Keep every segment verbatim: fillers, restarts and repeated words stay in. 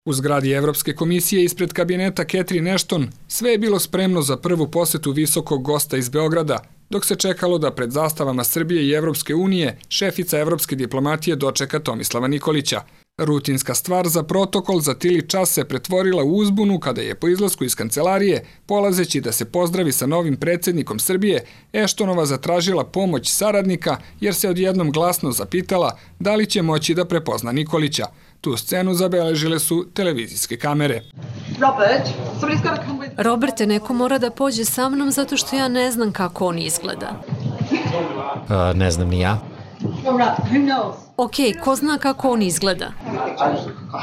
U zgradi Evropske komisije ispred kabineta Catherine Ashton sve je bilo spremno za prvu posetu visokog gosta iz Beograda, dok se čekalo da pred zastavama Srbije i Evropske unije šefica evropske diplomatije dočeka Tomislava Nikolića. Rutinska stvar za protokol za tili čas se pretvorila u uzbunu kada je po izlasku iz kancelarije, polazeći da se pozdravi sa novim predsjednikom Srbije, Ashtonova zatražila pomoć saradnika jer se odjednom glasno zapitala da li će moći da prepozna Nikolića. Tu scenu zabeležile su televizijske kamere. Roberte, neko mora da pođe sa mnom zato što ja ne znam kako on izgleda. Uh, ne znam ni ja. Ok, ko zna kako on izgleda?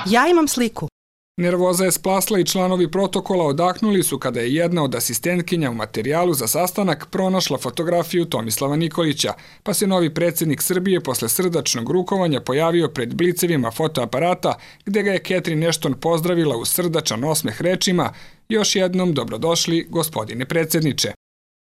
Ja imam sliku. Nervoza je splasla i članovi protokola odahnuli su kada je jedna od asistentkinja u materijalu za sastanak pronašla fotografiju Tomislava Nikolića, pa se novi predsjednik Srbije posle srdačnog rukovanja pojavio pred blicevima fotoaparata, gde ga je Catherine Ashton pozdravila uz srdačan osmeh rečima: "Još jednom dobrodošli, gospodine predsjedniče."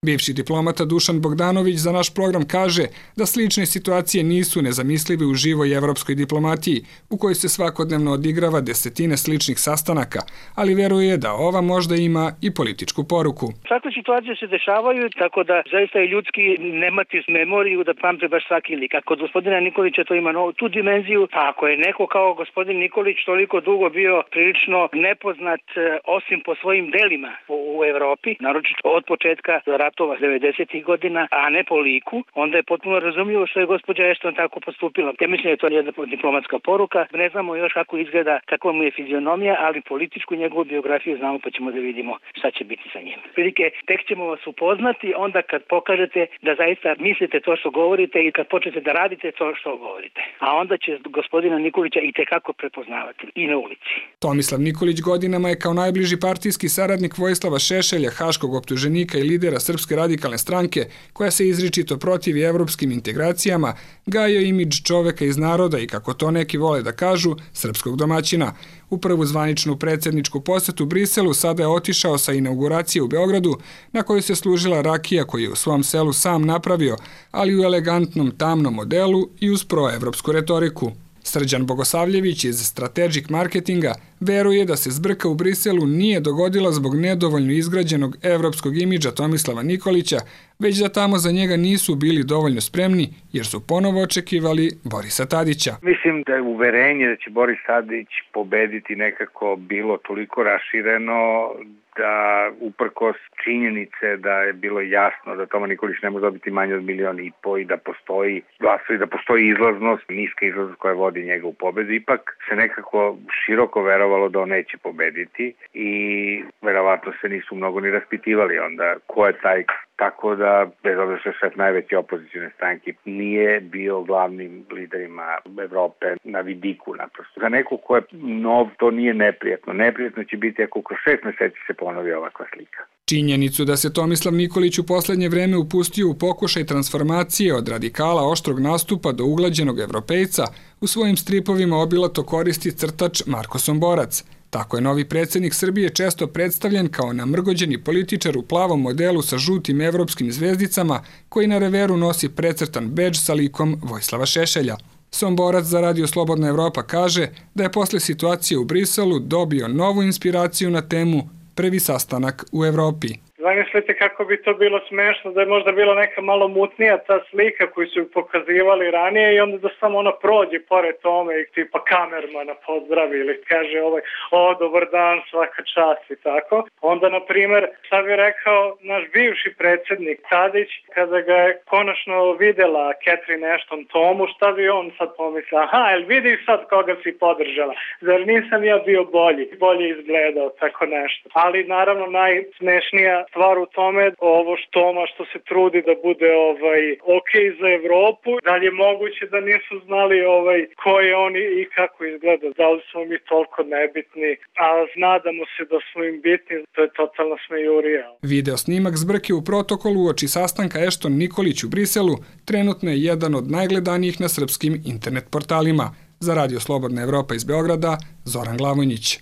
Bivši diplomata Dušan Bogdanović za naš program kaže da slične situacije nisu nezamislive u živoj evropskoj diplomatiji, u kojoj se svakodnevno odigrava desetine sličnih sastanaka, ali veruje da ova možda ima i političku poruku. Takve situacije se dešavaju, tako da zaista je ljudski nemati memoriju da pamte baš svaki lik. A kod gospodina Nikolića to ima tu dimenziju, a ako je neko kao gospodin Nikolić toliko dugo bio prilično nepoznat, osim po svojim delima u Evropi, naročito od početka ratova devedesetih godina, a ne po liku, onda je potpuno razumljivo što je gospođa Ashton tako postupila. Ja mislim da je to jedna diplomatska poruka. Ne znamo još kako izgleda, kakva mu je fizionomija, ali političku njegovu biografiju znamo, pa ćemo da vidimo šta će biti sa njim. Prilike, tek ćemo vas upoznati onda kad pokažete da zaista mislite to što govorite i kad počnete da radite to što govorite. A onda će gospodina Nikolića i tekako prepoznavati i na ulici. Tomislav Nikolić godinama je kao najbliži partijski saradnik Vojislava Šešelja, haškog optuženika i lidera Srpske radikalne stranke, koja se izričito protivi evropskim integracijama, gajio imidž čoveka iz naroda i, kako to neki vole da kažu, srpskog domaćina. U prvu zvaničnu predsjedničku posetu Briselu sada je otišao sa inauguracije u Beogradu, na kojoj se služila rakija koju je u svom selu sam napravio, ali u elegantnom tamnom modelu i uz proevropsku retoriku. Srđan Bogosavljević iz Strategic Marketinga veruje da se zbrka u Briselu nije dogodila zbog nedovoljno izgrađenog evropskog imidža Tomislava Nikolića, već da tamo za njega nisu bili dovoljno spremni jer su ponovo očekivali Borisa Tadića. Mislim da je uverenje da će Boris Tadić pobediti nekako bilo toliko rašireno da uprkos činjenice da je bilo jasno da Toma Nikolić ne može dobiti manje od milion i po i da postoji glasovi, da postoji izlaznost, niska izlaznost koja vodi njega u pobedu, ipak se nekako široko verovalo da on neće pobediti i verovatno se nisu mnogo ni raspitivali onda ko je taj. Tako da, bez obzira što je šef najveće opozicijne stranke, nije bio glavnim liderima Evrope na vidiku naprosto. Za nekog ko je nov, to nije neprijatno. Neprijatno će biti ako kroz šest meseci se ponovi ovakva slika. Činjenicu da se Tomislav Nikolić u poslednje vreme upustio u pokušaj transformacije od radikala oštrog nastupa do uglađenog evropejca, u svojim stripovima obilato koristi crtač Marko Somborac. Tako je novi predsjednik Srbije često predstavljen kao namrgođeni političar u plavom modelu sa žutim evropskim zvezdicama, koji na reveru nosi precrtan bedž sa likom Vojislava Šešelja. Somborac za Radio Slobodna Evropa kaže da je posle situacije u Briselu dobio novu inspiraciju na temu Prvi sastanak u Evropi. Zamislite kako bi to bilo smešno da je možda bila neka malo mutnija ta slika koju su pokazivali ranije i onda da samo ona prođe pored tome i tipa kamermana pozdravi ili kaže ovaj, o, dobar dan, svaka čast i tako. Onda, na primjer, sad bi rekao naš bivši predsjednik Tadić, kada ga je konačno videla Catherine Ashton Tomu, šta bi on sad pomislio? Aha, jel vidiš sad koga si podržala? Zar nisam ja bio bolji? Bolje izgledao, tako nešto. Ali, naravno, najsmešnija stvar u tome, ovo Toma što se trudi da bude ovaj ok za Evropu, da li je moguće da nisu znali ovaj ko je on i kako izgleda, da li smo mi toliko nebitni, a nadamo se da smo im bitni, to je totalna smejurija. Video snimak zbrke u protokolu uoči sastanka Ashton Nikolić u Briselu trenutno je jedan od najgledanijih na srpskim internet portalima. Za Radio Slobodna Evropa iz Beograda, Zoran Glavonjić.